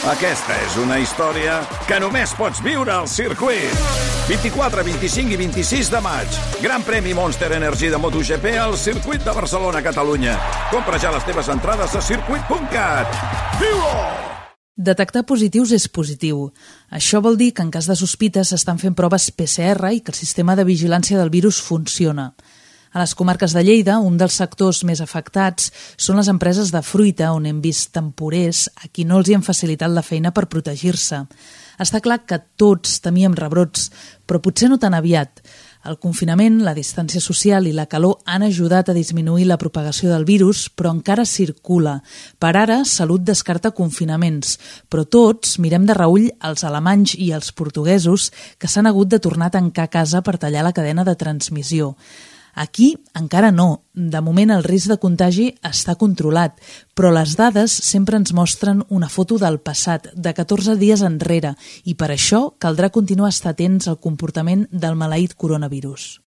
Aquesta és una història que només pots viure al circuit. 24, 25 i 26 de maig. Gran premi Monster Energy de MotoGP al circuit de Barcelona, Catalunya. Compra ja les teves entrades a circuit.cat. Viu-ho! Detectar positius és positiu. Això vol dir que en cas de sospita s'estan fent proves PCR i que el sistema de vigilància del virus funciona. A les comarques de Lleida, un dels sectors més afectats són les empreses de fruita, on hem vist temporers a qui no els hi han facilitat la feina per protegir-se. Està clar que tots temíem rebrots, però potser no tan aviat. El confinament, la distància social i la calor han ajudat a disminuir la propagació del virus, però encara circula. Per ara, Salut descarta confinaments, però tots mirem de reüll els alemanys i els portuguesos que s'han hagut de tornar a tancar a casa per tallar la cadena de transmissió. Aquí encara no. De moment el risc de contagi està controlat, però les dades sempre ens mostren una foto del passat, de 14 dies enrere, i per això caldrà continuar a estar atents al comportament del maleït coronavirus.